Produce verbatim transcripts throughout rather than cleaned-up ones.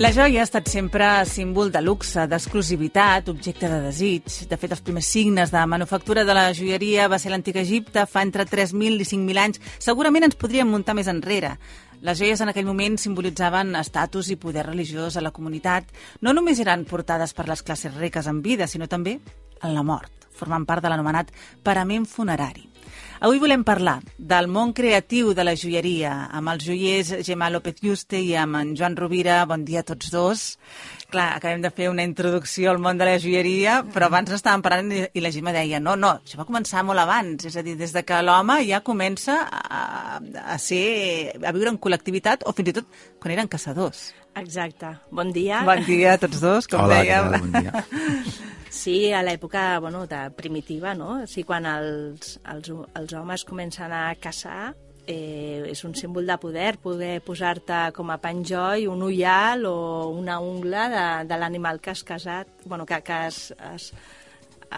La joia ha estat sempre símbol de luxe, d'exclusivitat, objecte de desig. De fet, els primers signes de manufactura de la joieria va ser l'antic Egipte, fa entre tres mil i cinc mil anys. Segurament ens podríem muntar més enrere. Les joies en aquell moment simbolitzaven estatus i poder religiós a la comunitat. No només eren portades per les classes riques en vida, sinó també en la mort, formant part de l'anomenat parament funerari. Avui volem parlar del món creatiu de la joieria amb els joiers Gemma López Yuste i amb en Joan Rovira. Bon dia a tots dos. Clar, acabem de fer una introducció al món de la joieria, però abans n'estàvem parlant i la Gemma deia no, no, això va començar molt abans, és a dir, des de que l'home ja comença a, a, ser, a viure en col·lectivitat o fins i tot quan eren caçadors. Exacte. Bon dia. Bon dia a tots dos, com Hola, dèiem. Hola, bon dia. Sí, a l'època bueno, de primitiva, no? O sigui, quan els, els, els homes comencen a caçar, eh, és un símbol de poder, poder posar-te com a penjoll un ullal o una ungla de, de l'animal que has casat, bueno, que, que has, has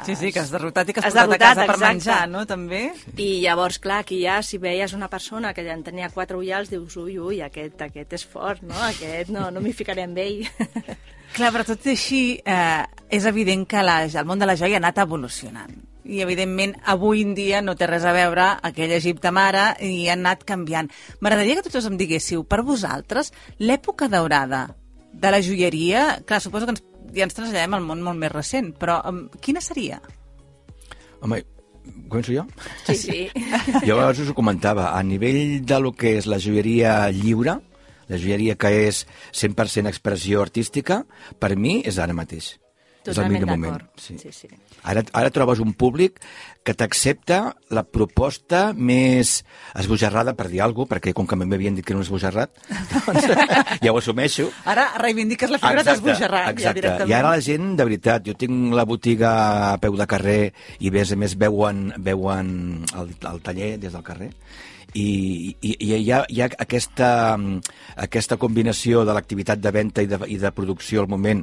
Sí, sí, que has derrotat i que has, has portat derrotat, a casa per exacte. menjar, no?, també. I llavors, clar, aquí ja, si veies una persona que ja en tenia quatre ullals, dius, ui, ui, aquest, aquest és fort, no? Aquest no, no m'hi ficaré amb ell. Clar, però tot i així, eh, és evident que la, el món de la joia ha anat evolucionant. I, evidentment, avui en dia no té res a veure aquell Egipte mare i ha anat canviant. M'agradaria que tots em diguéssiu, per vosaltres, l'època daurada de la joieria, clar, suposo que ens, ja ens traslladem al món molt més recent, però um, quina seria? Home, començo jo? Sí, sí. Jo abans us ho comentava, a nivell de lo que és la joieria lliure, la joieria que és cent per cent expressió artística, per mi és ara mateix. Totalment és el millor moment. Sí. Sí, sí. Ara, ara trobes un públic que t'accepta la proposta més esbojarrada, per dir alguna cosa, perquè com que m'havien dit que era un esbojarrat, doncs ja ho assumeixo. Ara reivindiques la figura d'esbojarrat. Exacte, ja directament. I ara la gent, de veritat, jo tinc la botiga a peu de carrer i a més a més veuen, veuen el, el taller des del carrer, i, i, i hi ha, hi ha aquesta, aquesta combinació de l'activitat de venda i de, i de producció al moment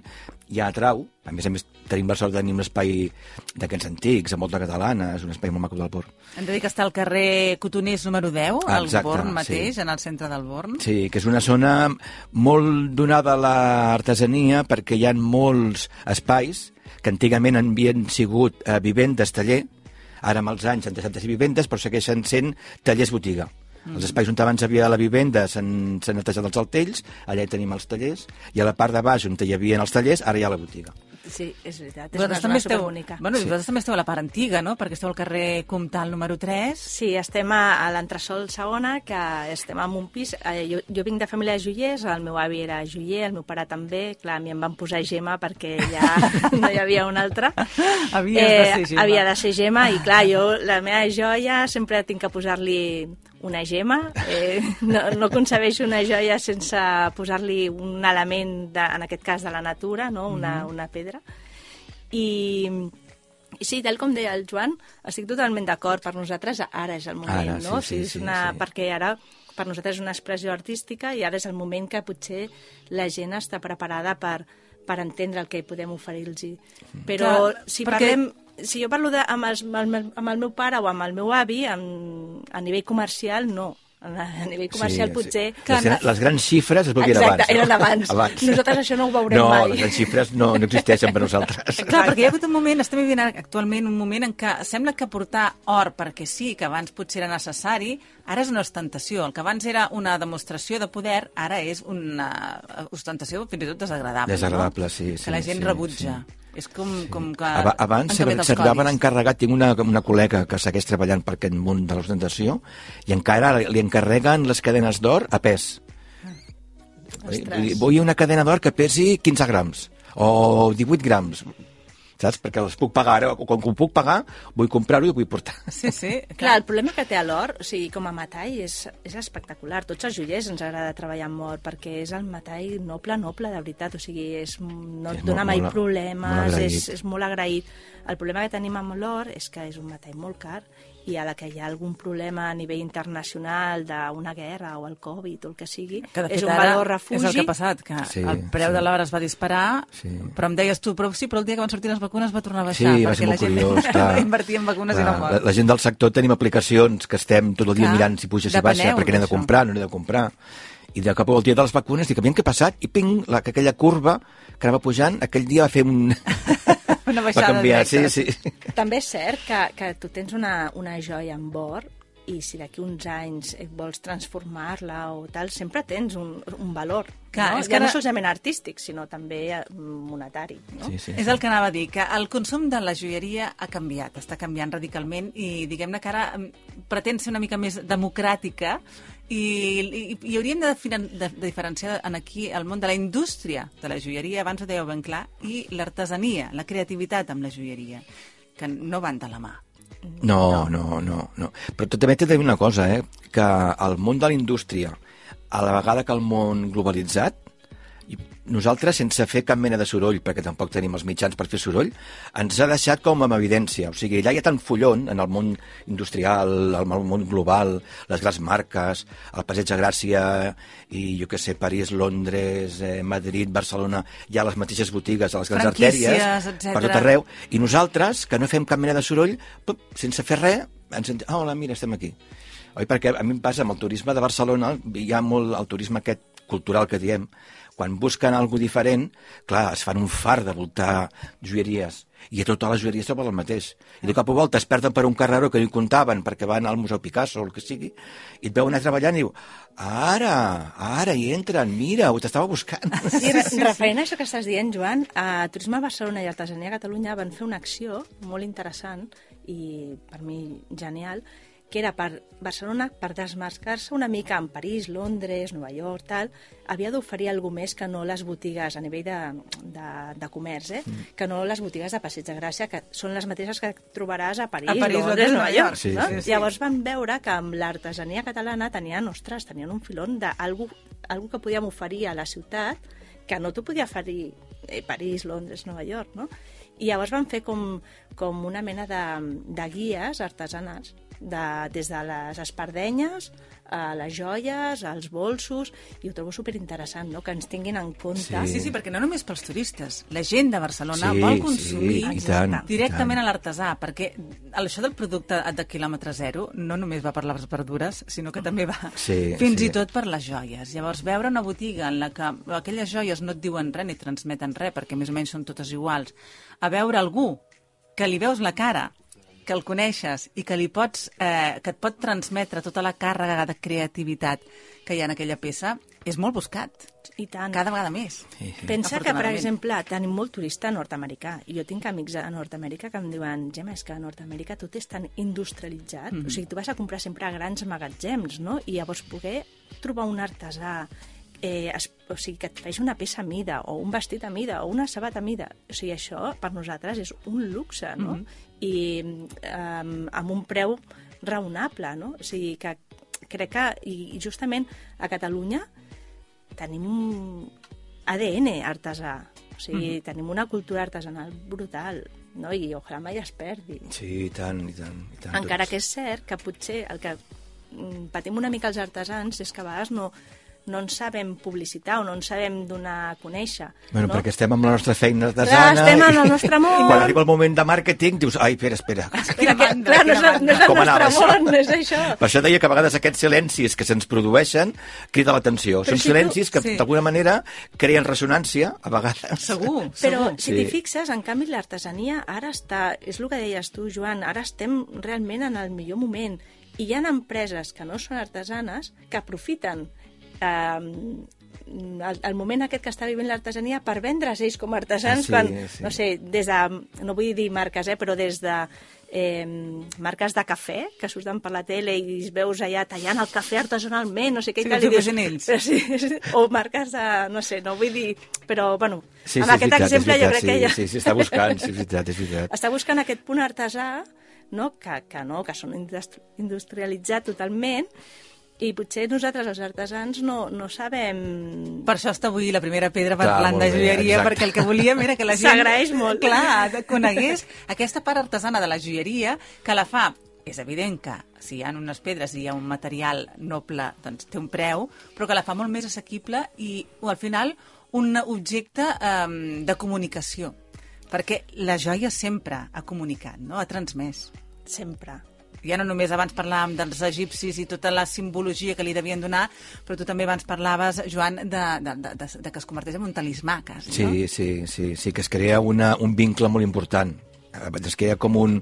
ja atrau. A més a més tenim la sort de tenir un espai d'aquests antics, a Molta Catalana, és un espai molt maco del Born. Hem de dir que està al carrer Cotoners número deu, al Exacte, Born mateix, sí. en el centre del Born. Sí, que és una zona molt donada a l'artesania perquè hi ha molts espais que antigament havien sigut eh, vivendes, taller. Ara amb els anys han deixat de ser vivendes, però segueixen sent tallers botiga. Mm. Els espais on abans hi havia la vivenda s'han netejat els altells, allà hi tenim els tallers, i a la part de baix on hi havia els tallers, ara hi ha la botiga. Sí, és veritat, és Vosaltres una també zona esteu, superbonica. bueno, Sí. vosaltres també esteu a la part antiga, no?, perquè esteu al carrer Comtal número tres. Sí, estem a, a l'entresòl segona, que estem en un pis. Eh, jo, jo vinc de família de joiers, el meu avi era joier, el meu pare també. Clar, a mi em van posar Gemma perquè ja no hi havia un altre. Havies de ser Gemma. Havia de ser Gemma i, clar, jo la meva joia sempre tinc que posar-li una gemma. Eh, no, no concebeixo una joia sense posar-li un element, de, en aquest cas, de la natura, no? una, mm-hmm. una pedra. I, I sí, tal com deia el Joan, estic totalment d'acord. Per nosaltres ara és el moment, Ara, no? sí, sí, o sigui, és una, sí. perquè ara per nosaltres és una expressió artística i ara és el moment que potser la gent està preparada per, per entendre el que podem oferir-los. Però Clar, si perquè... parlem... Si jo parlo de, amb, els, amb, el, amb el meu pare o amb el meu avi, amb, a nivell comercial, no. A nivell comercial Sí, potser... sí. Les, les grans xifres es veuen Exacte, abans. No? eren abans. abans. Nosaltres això no ho veurem no, mai. No, les grans xifres no, no existeixen per nosaltres. Clar, perquè hi ha hagut un moment, estem vivint actualment un moment en què sembla que portar or perquè sí, que abans potser era necessari, ara és una ostentació. El que abans era una demostració de poder, ara és una ostentació fins i tot desagradable. Desagradable, no? sí, sí. Que la gent sí, rebutja. Sí. És com, sí. com que abans han canviat els s'arribaven codis. encarregat, tinc una, una col·lega que segueix treballant per aquest món de l'ostentació i encara li encarreguen les cadenes d'or a pes. Ostres. Vull una cadena d'or que pesi quinze grams o divuit grams, saps? Perquè els puc pagar ara, quan ho puc pagar vull comprar-ho i ho vull portar. Sí, sí. Clar. Clar, el problema que té l'or, o sigui, com a metall, és, és espectacular. Tots els joiers ens agrada treballar amb or, perquè és el metall noble, noble, de veritat. O sigui, és, no et És dona molt, mai molt, problemes, molt és, és molt agraït. El problema que tenim amb l'or és que és un metall molt car i a la que hi ha algun problema a nivell internacional d'una guerra o el Covid o el que sigui, que és un valor refugi. És el que ha passat, que sí, el preu sí. de l'or es va disparar, sí. però em deies tu, però sí, però el dia que van sortir les vacunes va tornar a baixar, sí, va perquè ser la gent curiós, va invertir en vacunes clar, i no mort. La, la gent del sector tenim aplicacions que estem tot el dia clar, mirant si puja, si baixa, perquè n'he de comprar, no n'he de comprar. I de cop el dia de les vacunes, dic, aviam què ha passat? I ping, la, aquella curva que anava pujant, aquell dia va fer un... Una va baixada canviar, sí, directa. sí. També és cert que, que tu tens una, una joia en or i si d'aquí uns anys et vols transformar-la o tal, sempre tens un, un valor. Clar, no? és Ja que no ara- solament artístic, sinó també eh, monetari. No? Sí, sí. És el que anava a dir, que el consum de la joieria ha canviat, està canviant radicalment i diguem-ne que ara mm, pretén ser una mica més democràtica i, i, i hauríem de, definan- de, de diferenciar en aquí el món de la indústria de la joieria, abans ho dèieu ben clar, i l'artesania, la creativitat amb la joieria, que no van de la mà. No, no, no, no. Però també t'he de dir una cosa, eh? Que el món de la indústria, a la vegada que el món globalitzat, i nosaltres, sense fer cap mena de soroll, perquè tampoc tenim els mitjans per fer soroll, ens ha deixat com amb evidència. O sigui, allà hi ha tant follon en el món industrial, el món global, les grans marques, el Passeig de Gràcia, i jo què sé, París, Londres, eh, Madrid, Barcelona, hi ha les mateixes botigues a les grans Franquícies, artèries, etcètera. per tot arreu, i nosaltres, que no fem cap mena de soroll, pup, sense fer res, ens en... Ah, hola, mira, estem aquí. Oi? Perquè a mi em passa amb el turisme de Barcelona, hi ha molt el turisme aquest cultural que diem, quan busquen alguna diferent, clar, es fan un far de voltar joieries, i a totes les joieries troben el mateix. I de cop a volta es perden per un carreró que no hi comptaven perquè van al Museu Picasso o el que sigui, i et veuen anar treballant i diu, ara, ara hi entren, mira, ho t'estava buscant. Sí, re referent a això que estàs dient, Joan, a Turisme Barcelona i Artesania a Catalunya van fer una acció molt interessant i per mi genial, que era per Barcelona, per desmarcar-se una mica en París, Londres, Nova York, tal, havia d'oferir alguna més que no les botigues a nivell de, de, de comerç, eh? Mm. que no les botigues de Passeig de Gràcia, que són les mateixes que trobaràs a París, A París, Londres, Londres, Nova York. Sí, no? sí, sí. Llavors van veure que amb l'artesania catalana tenien, ostres, tenien un filon d'algú algú que podíem oferir a la ciutat que no t'ho podia oferir eh, París, Londres, Nova York, no? I llavors van fer com, com una mena de, de guies artesanes, de, des de les espardenyes a les joies, als bolsos, i ho trobo superinteressant, no?, que ens tinguin en compte. Sí, sí, perquè no només pels turistes. La gent de Barcelona Sí, vol consumir sí, i tant, directament i tant. a l'artesà, perquè això del producte de quilòmetre zero no només va per les verdures, sinó que també va Sí, fins sí. i tot per les joies. Llavors, veure una botiga en la que aquelles joies no et diuen res ni transmeten res, perquè més o menys són totes iguals, a veure algú que li veus la cara, que el coneixes i que li pots, eh, que et pot transmetre tota la càrrega de creativitat que hi ha en aquella peça, és molt buscat. I tant. Cada vegada més. Sí, sí. Pensa que, per Afortunadament. exemple, tenim molt turista nord-americà, i jo tinc amics a Nord-Amèrica que em diuen, Gemma, és que a Nord-Amèrica tot és tan industrialitzat, mm. o sigui, tu vas a comprar sempre a grans magatzems, no?, i llavors poder trobar un artesà eh, es, o sigui, que et faci una peça a mida, o un vestit a mida, o una sabata a mida, o sigui, això per nosaltres és un luxe, no?, mm -hmm. i um, amb un preu raonable, no?, o sigui, que crec que, i justament a Catalunya tenim un A D N artesà, o sigui, mm. tenim una cultura artesanal brutal, no?, i ojalà mai es perdi. Sí, i tant, i tant. I tant Encara tots. que és cert que potser el que mm, patim una mica els artesans és que a vegades no, no ens sabem publicitar o no ens sabem donar a conèixer. Bueno, no? perquè estem amb la nostra feina Clar, artesana... estem en i- el nostre món. I quan arriba el moment de màrqueting dius, ai, espera, espera. Espera, que, clar, no és, el- no és el Com anava nostre això? món, no és això. Per això deia que a vegades aquests silencis que se'ns produeixen crida l'atenció. Però Són si tu- silencis que, sí. d'alguna manera, creen ressonància, a vegades. Segur, Però segur. si Sí. t'hi fixes, en canvi, l'artesania ara està... És el que deies tu, Joan, ara estem realment en el millor moment. I hi ha empreses que no són artesanes que aprofiten eh, el, el moment aquest que està vivint l'artesania per vendre's ells com a artesans, Ah, sí, quan, sí. no sé, des de, no vull dir marques, eh, però des de eh, marques de cafè que surten per la tele i es veus allà tallant el cafè artesanalment, no sé què, Sí, i tal, que i ho facin ells. però sí, sí, o marques de, no sé, no vull dir, però, bueno, Sí, amb sí, és aquest veritat, és exemple jo veritat, crec sí, que ja... Sí, sí, està buscant, sí, és veritat, és veritat. Està buscant aquest punt artesà, no? Que, que no, que són industri- industrialitzats totalment, i potser nosaltres, els artesans, no, no sabem... Per això està avui la primera pedra Clar, parlant molt de bé, joieria, exacte. perquè el que volíem era que la gent... S'agraeix molt. Clar, conegués aquesta part artesana de la joieria que la fa. És evident que si hi ha unes pedres i hi ha un material noble, doncs té un preu, però que la fa molt més assequible i, o al final, un objecte um, de comunicació. Perquè la joia sempre ha comunicat, no? Ha transmès. Sempre. ja no només abans parlàvem dels egipcis i tota la simbologia que li devien donar, però tu també abans parlaves, Joan, de, de, de, de, de que es converteix en un talismà, quasi, sí, no? Sí, sí, sí, que es crea una, un vincle molt important. Es queda com un,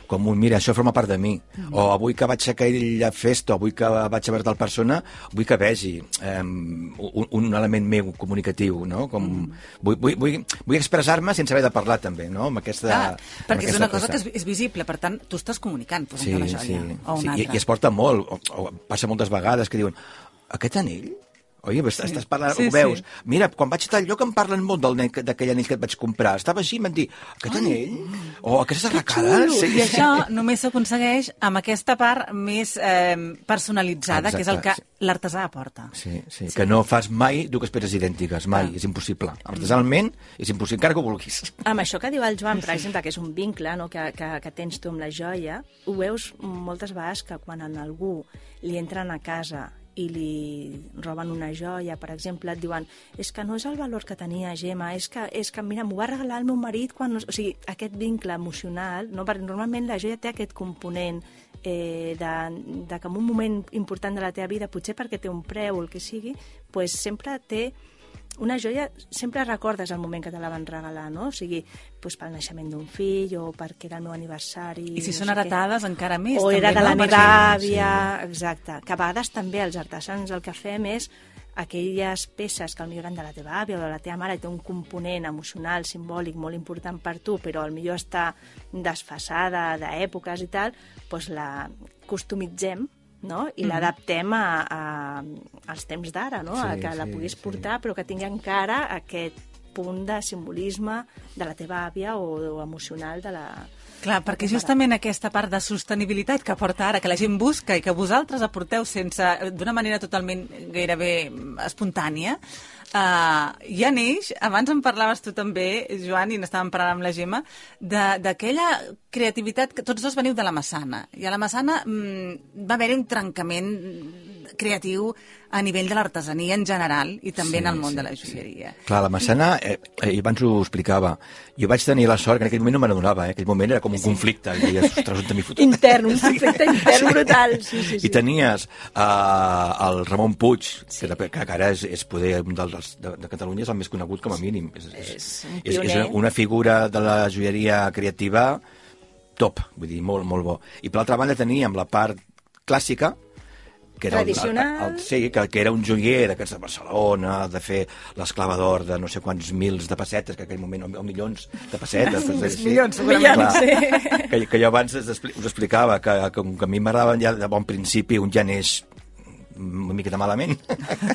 com un, mira, això forma part de mi. Mm-hmm. O avui que vaig a aquella festa, o avui que vaig a veure tal persona, vull que vegi um, un, un element meu comunicatiu, no? Com, mm. vull, vull, vull, vull expressar-me sense haver de parlar, també, no? Amb aquesta, Clar, perquè amb és una cosa cosa. que és, és visible, per tant, tu estàs comunicant posant sí, una joia sí, o una sí. altra. I, I es porta molt, o, o passa moltes vegades que diuen, aquest anell? Oi, sí. Estàs parlant, sí, ho veus. Sí. Mira, quan vaig a tal lloc em parlen molt del d'aquell anell que et vaig comprar. Estava així i em van dir, aquest anell? O aquestes arracades? Sí. I això només s'aconsegueix amb aquesta part més eh, personalitzada, exacte, que és el que sí. l'artesà aporta. Sí, sí, sí, que no fas mai dues peces idèntiques, mai, ah. és impossible. Artesanalment és impossible, encara que ho vulguis. Amb això que diu el Joan, per exemple, que és un vincle, no?, que, que, que tens tu amb la joia, ho veus moltes vegades que quan en algú li entren a casa i li roben una joia, per exemple, et diuen, és que no és el valor que tenia, Gemma, és que, és que mira, m'ho va regalar el meu marit quan... O sigui, aquest vincle emocional, no? Perquè normalment la joia té aquest component eh, de, de que en un moment important de la teva vida, potser perquè té un preu o el que sigui, pues sempre té... Una joia sempre recordes el moment que te la van regalar, no? O sigui, pues, pel naixement d'un fill o perquè era el meu aniversari... I si no són sé heretades, què. Encara més. O també, era de no? la meva àvia, sí. exacte. Que a vegades també els artesans el que fem és aquelles peces que potser eren de la teva àvia o de la teva mare, té un component emocional, simbòlic, molt important per tu, però potser està desfasada d'èpoques i tal, doncs la customitzem, no? I mm. l'adaptem a, a, als temps d'ara, no? Sí, a que la sí, puguis sí. portar, però que tingui encara aquest punt de simbolisme de la teva àvia o, o emocional de la... Clar, perquè justament aquesta part de sostenibilitat que porta ara, que la gent busca i que vosaltres aporteu sense, d'una manera totalment gairebé espontània, uh, ja neix, abans en parlaves tu també, Joan, i n'estàvem parlant amb la Gemma, d'aquella creativitat que tots dos veniu de la Massana. I a la Massana mm, va haver-hi un trencament creatiu a nivell de l'artesania en general i també sí, en el món sí, de la joieria. Sí. Clar, la Massana, eh, eh, abans ho explicava, jo vaig tenir la sort que en aquell moment no me n'adonava, eh? Aquell moment era com un sí. conflicte, i deies, ostres, on t'he fotut? Intern, un conflicte sí. intern brutal. Sí, sí, sí. I tenies uh, el Ramon Puig, sí. que, que ara és, és poder un dels de, de Catalunya, és el més conegut com a mínim. És, és, és, és, és una, una figura de la joieria creativa top, vull dir, molt, molt bo. I per l'altra banda teníem la part clàssica, que era tradicional. El, el, el, sí, que, que era un joier d'aquests de Barcelona, de fer l'esclava d'or de no sé quants mils de pessetes, que en aquell moment, o milions de pessetes. Doncs, milions, segurament. Sí. Que, que jo abans us explicava que, que, que a mi m'agradaven ja de bon principi un ja neix una miqueta malament.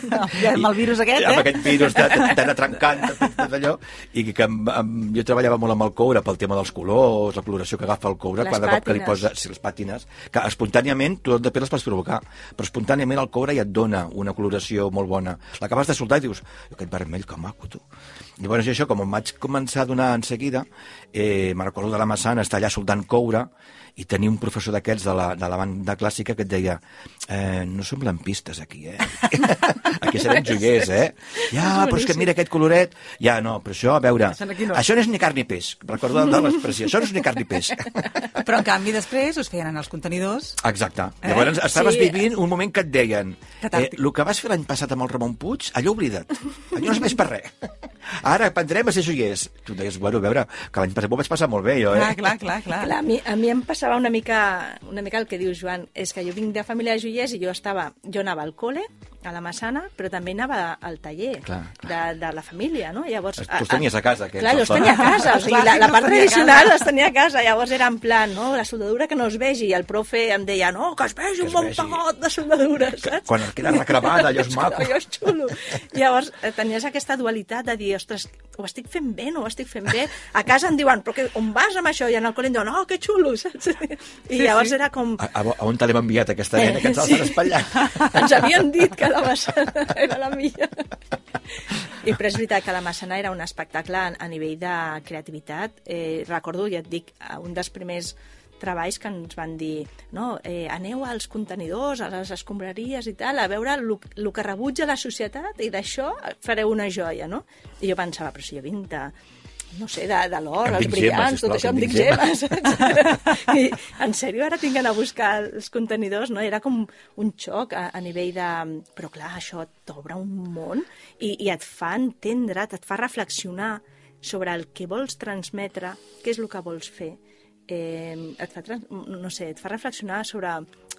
No, ja amb el virus aquest, eh? Amb aquest virus tan trencant, tot allò, i que amb, amb, jo treballava molt amb el coure pel tema dels colors, la coloració que agafa el coure, les cada pàtines. cop que li posa, sí, les pàtines, que espontàniament tu després les pots provocar, però espontàniament el coure ja et dona una coloració molt bona. L'acabes de soltar i dius, aquest vermell, que maco, tu. Llavors això, com em vaig començar a donar en seguida, eh, me'n recordo de la Massana, estar allà soldant coure, i tenia un professor d'aquests de, la, de la banda clàssica que et deia, eh, no som lampistes aquí, eh? Aquí serem joiers, eh? Ja, però és que mira aquest coloret. Ja, no, però això, a veure, no. Això no és ni carn ni peix. Recordo de l'expressió, això no és ni carn ni peix. Però en canvi després us feien en els contenidors. Exacte. Eh? Llavors estaves sí. vivint un moment que et deien, eh, el que vas fer l'any passat amb el Ramon Puig, allò oblida't. Allò no és més per res. Ara aprendrem a ser joiers. Tu deies, bueno, a veure, que l'any passat m'ho vaig passar molt bé, jo, eh? Clar, clar, clar. clar. clar a, mi, a mi em passava una mica, una mica el que diu Joan, és que jo vinc de família de joiers i jo estava, jo anava al col·le, a la Massana, però també anava al taller clar, clar. De, de la família, no? Llavors, tu els tenies a casa, aquests. Clar, jo els tenia a casa, o sigui, la, la part tradicional els tenia a casa, llavors era en plan, no? La soldadura que no es vegi, i el profe em deia, no, que es vegi un bon pagot de soldadura, saps? Quan queda recremada, allò és maco. Allò és xulo. Llavors, tenies aquesta dualitat de dir, ostres, ho estic fent bé, no ho estic fent bé? A casa em diuen, però que, on vas amb això? I en el col·le em diuen, oh, que xulo, saps? I llavors era com... A, a, a on te l'hem enviat, aquesta nena, que ens l'has espatllat? Ens havien dit que la Massana era la millor. I però és veritat que la Massana era un espectacle a nivell de creativitat. Eh, recordo, ja et dic, un dels primers treballs que ens van dir, no, eh, aneu als contenidors, a les escombraries i tal, a veure el que rebutja la societat i d'això fareu una joia, no? I jo pensava, però si jo vinc de, no sé, de, de l'or, Em els dic brillants, gemes, tot sisplau, això, em em dic dic gemes. I, en sèrio, ara tinc d'anar a buscar els contenidors, no? Era com un xoc a, a nivell de... Però clar, això t'obre un món i, i et fa entendre, et fa reflexionar sobre el que vols transmetre, què és el que vols fer. Eh, et fa, trans... no sé, et fa reflexionar sobre...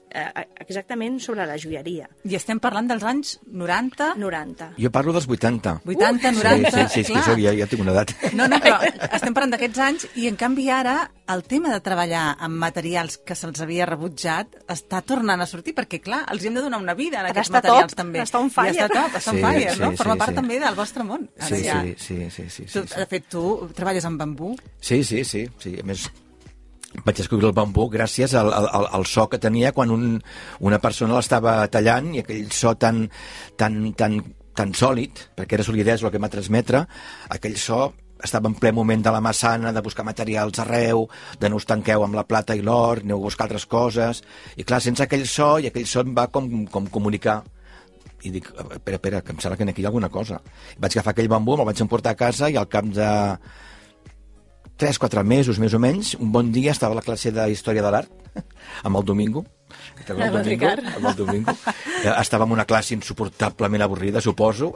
Eh, exactament sobre la joieria. I estem parlant dels anys noranta? noranta. Jo parlo dels vuitanta. vuitanta, noranta, Sí, sí, sí, és que soc, ja, ja tinc una edat. No, no, però estem parlant d'aquests anys i, en canvi, ara el tema de treballar amb materials que se'ls havia rebutjat està tornant a sortir, perquè, clar, els hem de donar una vida en aquests està materials, top, també. està on fire. I està top, està on Sí, fire, sí, no? Forma sí, part sí. també del vostre món. Ara Sí, ja. sí, sí, sí, sí, Tu, sí, sí. de fet, tu treballes amb bambú. Sí, sí, sí, sí. A més, vaig descobrir el bambú gràcies al, al, al so que tenia quan un, una persona l'estava tallant i aquell so tan, tan, tan, tan sòlid, perquè era solidesa el que m'ha transmetre, aquell so estava en ple moment de la massana, de buscar materials arreu, de no us tanqueu amb la plata i l'or, aneu a buscar altres coses, i clar, sense aquell so, i aquell so em va com, com comunicar, i dic, espera, espera, que em sembla que aquí hi ha alguna cosa. Vaig agafar aquell bambú, me'l vaig emportar a casa i al cap de tres o quatre mesos, més o menys, un bon dia estava a la classe de Història de l'Art, amb el Domingo, el Amb el Domingo, Ricard. amb el Domingo. Estava en una classe insuportablement avorrida, suposo,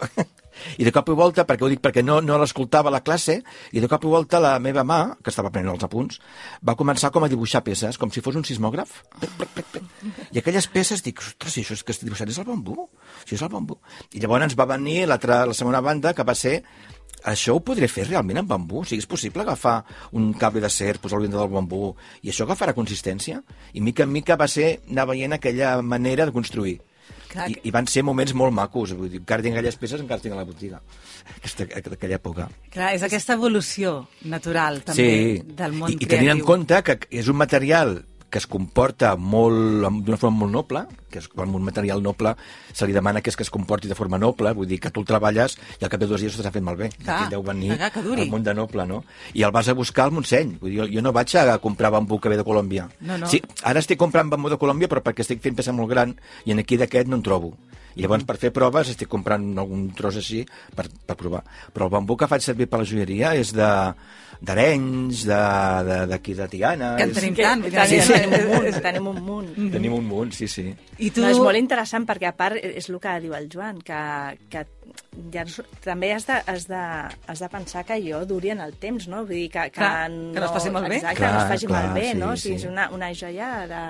i de cop i volta, perquè ho dic perquè no, no l'escoltava a la classe, i de cop i volta la meva mà, que estava prenent els apunts, va començar com a dibuixar peces, com si fos un sismògraf. Pec, pec, pec, pec. I aquelles peces, dic, ostres, si això és que estic dibuixant és el bambú, això és el bambú. I llavors ens va venir l'altra, la segona banda, que va ser això ho podré fer realment amb bambú? O sigui, és possible agafar un cable d'acer, posar-lo dintre del bambú, i això agafarà consistència? I mica en mica va ser anar veient aquella manera de construir. Clar, I, I van ser moments molt macos. Vull dir, encara tinc aquelles peces, encara tinc a la botiga. Aquesta, aquella època. Clar, és aquesta evolució natural, també, Sí, del món I, i creatiu. tenint en compte que és un material que es comporta molt, d'una forma molt noble, que és, quan un material noble se li demana que és que es comporti de forma noble, vull dir que tu el treballes i al cap de dos dies s'ha fet malbé. Clar, Aquí deu venir clar, que duri. el món de noble, no? I el vas a buscar al Montseny. Vull dir, jo, jo no vaig a comprar bambú que ve de Colòmbia. No, no. Sí, ara estic comprant bambú de Colòmbia, però perquè estic fent peça molt gran i en aquí d'aquest no en trobo. I llavors, per fer proves, estic comprant algun tros així per, per provar. Però el bambú que faig servir per la joieria és de d'Arenys, d'aquí de, de, de Tiana... Que en és- tenim tant. Tenim, Sí, sí. tenim un munt, tenim un munt. Tenim un munt, sí, sí. I tu... No, és molt interessant perquè, a part, és el que diu el Joan, que, que ja, també has de, has, de, has de pensar que allò duri en el temps, no? Vull dir que, que, Clar, que no es faci malbé. Exacte, Clar, que no es faci clar, malbé, sí, no? O sigui, sí. és una, una joia de...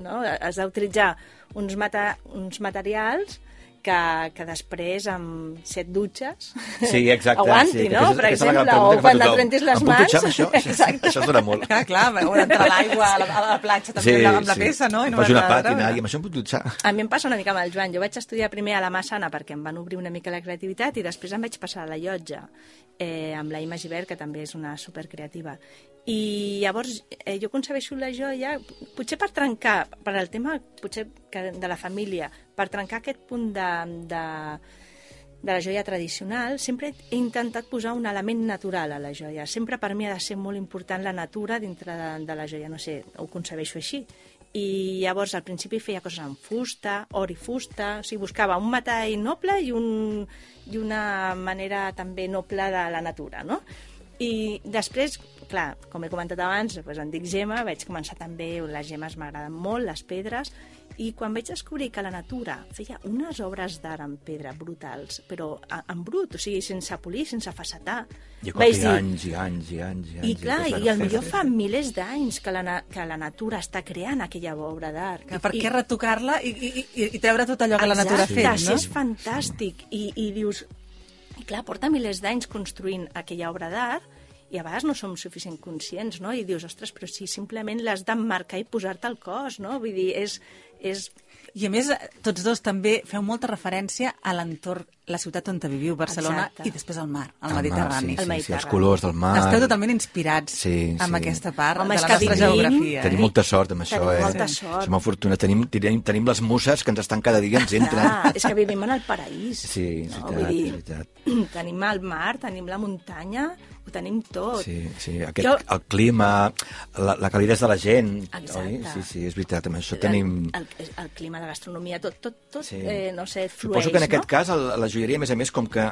No? Has d'utilitzar uns, mata, uns materials que, que després amb set dutxes Sí, exacte. aguanti, sí, que no? aquesta- Per aquesta és la exemple, gran o pregunta que fa quan et tothom. rentis les Em puc dutxar mans. amb això? Exacte. Això es dona molt. Clar, clar, veure entrar l'aigua a, la, a la platja també amb, la, amb la peça, no? I no Faig una m'ha de pàtina treure. i amb això em puc dutxar. A mi em passa una mica amb el Joan. Jo vaig estudiar primer a la Massana perquè em van obrir una mica la creativitat i després em vaig passar a la Llotja eh, amb la Ima Givert, que també és una supercreativa. I llavors eh, jo concebeixo la joia, potser per trencar, per al tema potser que de la família, per trencar aquest punt de, de, de la joia tradicional, sempre he intentat posar un element natural a la joia. Sempre per mi ha de ser molt important la natura dintre de, de la joia, no sé, ho concebeixo així. I llavors al principi feia coses amb fusta, or i fusta, o sigui, buscava un metall noble i, un, i una manera també noble de la natura, no? I després, clar, com he comentat abans, doncs em dic Gemma, vaig començar també, les gemes m'agraden molt, les pedres, i quan vaig descobrir que la natura feia unes obres d'art en pedra brutals, però en brut, o sigui, sense polir, sense facetar, I vaig dir... dir, anys i anys i anys i anys. i clar, després i van al fer- millor fa milers d'anys que, la, na- que la natura està creant aquella obra d'art. Que per I- què retocar-la i, i, i, i treure tot allò que la natura ha Exacte, fet, sí, no? és fantàstic. I, i dius, i clar, porta milers d'anys construint aquella obra d'art i a vegades no som suficient conscients, no? I dius, ostres, però si simplement l'has d'emmarcar i posar-te al cos, no? Vull dir, és... és... I a més, tots dos també feu molta referència a l'entorn, la ciutat on viviu, Barcelona, Exacte. i després al mar, al El mar, Mediterrani. Sí, sí, sí, els Mediterrani. colors del mar. Esteu totalment inspirats Sí, amb sí. aquesta part Home, de és la que nostra vivim- geografia. Tenim Eh? molta sort amb això, Tenim eh? molta sort. Som afortunats. Tenim, tenim, tenim les muses que ens estan cada dia, ens entren. Clar, és que vivim en el paraís. Sí, és no? veritat, Vull dir, és veritat. tenim el mar, tenim la muntanya, ho tenim tot. Sí, sí. Aquest, jo... el clima, la, la calidesa de la gent. Exacte. Oi? Sí, sí, és veritat, amb això tenim... El, el, el clima, la gastronomia, tot, tot, tot Sí. eh, no sé, flueix, Suposo que en aquest no? cas el, la joieria, a més a més, com que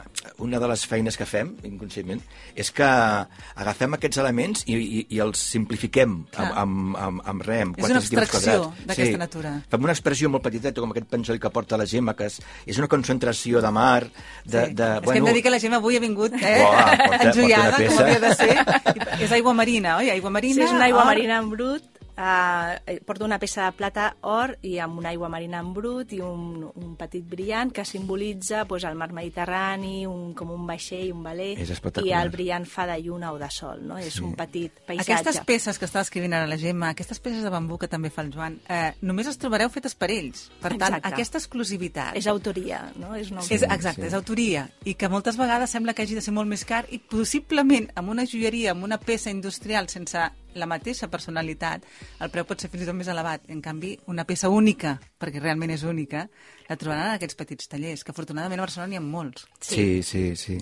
una de les feines que fem, inconscientment, és que agafem aquests elements i, i, i els simplifiquem amb, amb, amb, amb res, amb És una quatre centímetres abstracció quadrats. d'aquesta Sí. natura. Fem una expressió molt petiteta, com aquest penjoll que porta la Gemma, que és, és una concentració de mar, de... Sí. de És que hem de dir que la Gemma avui ha vingut eh? Uah, porta- enjoiada, porta una com peça. havia de ser. És aigua marina, oi? Aigua marina, Sí, és una aigua or. marina en brut. Uh, porto una peça de plata or i amb una aigua marina en brut i un, un petit brillant que simbolitza pues, el mar Mediterrani, un, com un vaixell, un veler, És i espectacular. el brillant fa de lluna o de sol, no? És Sí. un petit paisatge. Aquestes peces que està escrivint ara la Gemma, aquestes peces de bambú que també fa el Joan, eh, només les trobareu fetes per ells. Per tant, Exacte. aquesta exclusivitat... És autoria, no? És una És, autoria. exacte, sí. és autoria, i que moltes vegades sembla que hagi de ser molt més car i possiblement amb una joieria, amb una peça industrial sense la mateixa personalitat, el preu pot ser fins i tot més elevat. En canvi, una peça única, perquè realment és única, la trobaran en aquests petits tallers, que afortunadament a Barcelona n'hi ha molts. Sí, sí, sí.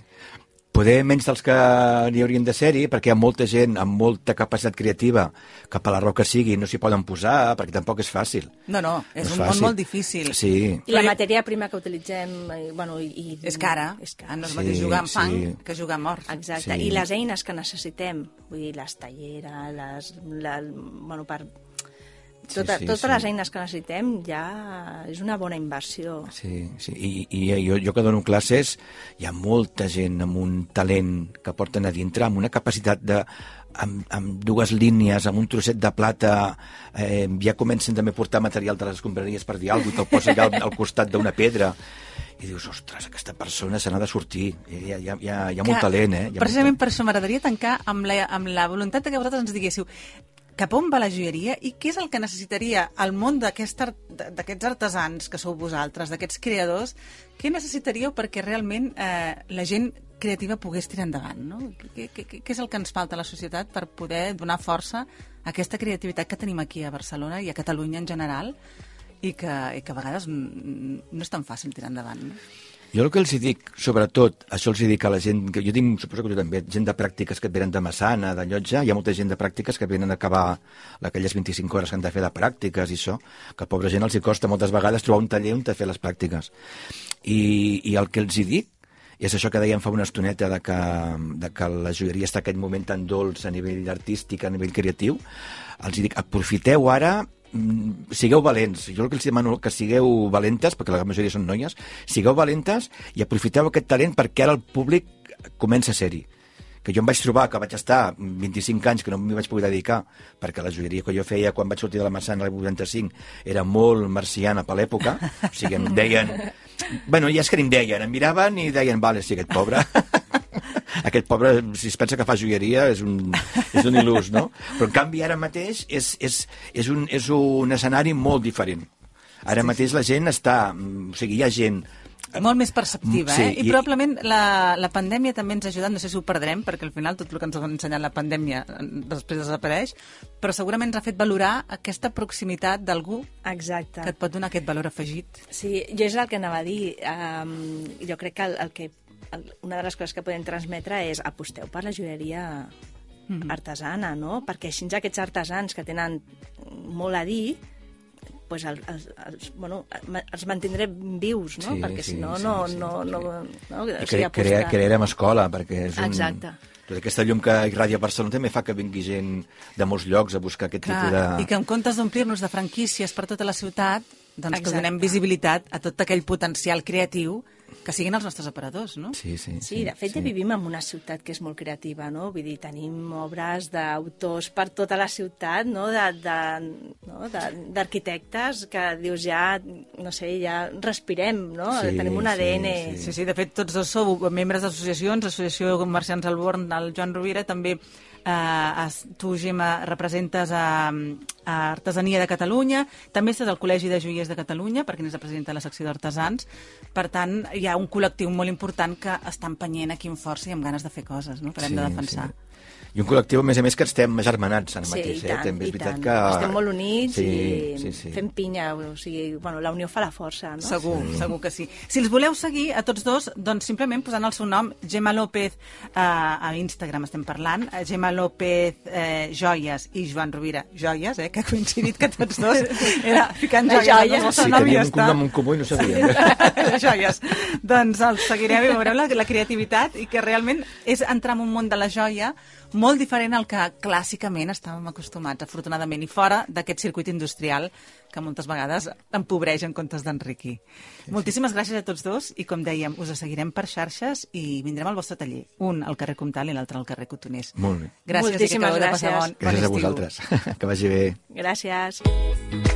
Poder menys dels que n'hi haurien de ser-hi, perquè hi ha molta gent amb molta capacitat creativa que per la raó que sigui no s'hi poden posar, perquè tampoc és fàcil. No, no, és No és un món fàcil. molt difícil. Sí. I la matèria prima que utilitzem... Eh, bueno, i, i, És cara, és cara. no és Sí, el mateix jugar amb fang sí. que jugar amb or. Exacte, Sí. i les eines que necessitem, vull dir, les talleres, les, la, bueno, per, tota, sí, totes sí. les eines que necessitem ja és una bona inversió. Sí, sí. I, i jo, jo que dono classes, hi ha molta gent amb un talent que porten a dintre, amb una capacitat de... Amb, amb dues línies, amb un trosset de plata, eh, ja comencen també a portar material de les escombraries per dir alguna cosa, i te'l posa allà al, al costat d'una pedra. I dius, ostres, aquesta persona se n'ha de sortir. Hi ha, hi ha, hi ha, hi ha molt talent, eh? Hi ha Precisament molt per això m'agradaria tancar amb la, amb la voluntat de que vosaltres ens diguéssiu cap on va la joieria i què és el que necessitaria el món d'aquest art- d'aquests artesans que sou vosaltres, d'aquests creadors, què necessitaríeu perquè realment eh, la gent creativa pogués tirar endavant, no? Què, què, què és el que ens falta a la societat per poder donar força a aquesta creativitat que tenim aquí a Barcelona i a Catalunya en general i que, i que a vegades mm, no és tan fàcil tirar endavant, no? Jo el que els hi dic, sobretot, això els hi dic a la gent, que jo tinc, suposo que tu també, gent de pràctiques que et venen de Massana, de Llotja, hi ha molta gent de pràctiques que venen a acabar aquelles vint-i-cinc hores que han de fer de pràctiques i això, que a pobra gent els hi costa moltes vegades trobar un taller on te fer les pràctiques. I, I el que els hi dic és això que dèiem fa una estoneta de que, de que la joieria està en aquest moment tan dolç a nivell artístic, a nivell creatiu, els hi dic, aprofiteu ara, sigueu valents. Jo el que els demano que sigueu valentes, perquè la majoria són noies, sigueu valentes i aprofiteu aquest talent perquè ara el públic comença a ser-hi. Que jo em vaig trobar que vaig estar vint-i-cinc anys que no m'hi vaig poder dedicar, perquè la joieria que jo feia quan vaig sortir de la Massana l'any vuitanta-cinc era molt marciana per l'època, o sigui, em deien... Bueno, ja és que ni em deien, em miraven i deien, vale, sí, aquest pobre... Aquest pobre, si es pensa que fa joieria, és un, és un il·lús, no? Però, en canvi, ara mateix és, és, és, un, és un escenari molt diferent. Ara mateix la gent està... O sigui, hi ha gent... Molt més perceptiva, Sí, eh? I, i- probablement la, la pandèmia també ens ha ajudat, no sé si ho perdrem, perquè al final tot el que ens ha ensenyat la pandèmia eh, després desapareix, però segurament ens ha fet valorar aquesta proximitat d'algú Exacte. que et pot donar aquest valor afegit. Sí, jo és el que anava a dir. Um, jo crec que el, el que el, una de les coses que podem transmetre és aposteu per la joieria Mhm. artesana, no? Perquè així aquests artesans que tenen molt a dir pues el, els, els, bueno, els mantindrem vius, no? Sí, Perquè sí, si no, sí, no, sí, no, sí. no, no, o I sigui, cre apostar. cre crearem escola, perquè és un... Exacte. Tota aquesta llum que irradia Barcelona també fa que vingui gent de molts llocs a buscar aquest Clar, tipus de... i que en comptes d'omplir-nos de franquícies per tota la ciutat, doncs que Exacte. donem visibilitat a tot aquell potencial creatiu que siguin els nostres aparadors, no? Sí, sí, Sí, de fet ja vivim en una ciutat que és molt creativa, no? Vull dir, tenim obres d'autors per tota la ciutat, no? De, de, no? De, d'arquitectes que dius ja, no sé, ja respirem, no? Sí, Tenim un A D N... sí, Sí, sí, de fet, tots dos sou membres d'associacions, Associació de Comerciants al Born, el Joan Rovira, també eh, es- tu, Gemma, representes a, a Artesania de Catalunya, també estàs al Col·legi de Joiers de Catalunya, perquè n'és la presidenta de la secció d'artesans. Per tant, hi ha un col·lectiu molt important que està empenyent aquí amb força i amb ganes de fer coses, no? Que l'hem de defensar. Sí. I un col·lectiu, a més a més, que estem agermanats ara Sí, mateix. i tant, eh? També és i veritat tant. que... Estem molt units sí, i sí, sí. fem pinya, o sigui, bueno, la unió fa la força, no? Segur, sí. segur que sí. Si els voleu seguir a tots dos, doncs simplement posant el seu nom, Gemma López, eh, a Instagram estem parlant, eh, Gemma López eh, Joies i Joan Rovira Joies, eh, que ha coincidit que tots dos era ficant Les joies. joies. al vostre Sí, nom i ja teníem un està. cognom en comú i no sabíem. Joies. Doncs els seguireu i veureu la, la creativitat i que realment és entrar en un món de la joia molt diferent al que clàssicament estàvem acostumats, afortunadament, i fora d'aquest circuit industrial que moltes vegades empobreix en comptes d'enriquir. Sí, Moltíssimes sí. gràcies a tots dos i, com dèiem, us seguirem per xarxes i vindrem al vostre taller. Un al carrer Comtal i l'altre al carrer Cotoners. Molt bé. Gràcies Moltíssimes i que acabeu de passar gràcies. bon, bon Gràcies a estiu. vosaltres. Que vagi bé. Gràcies.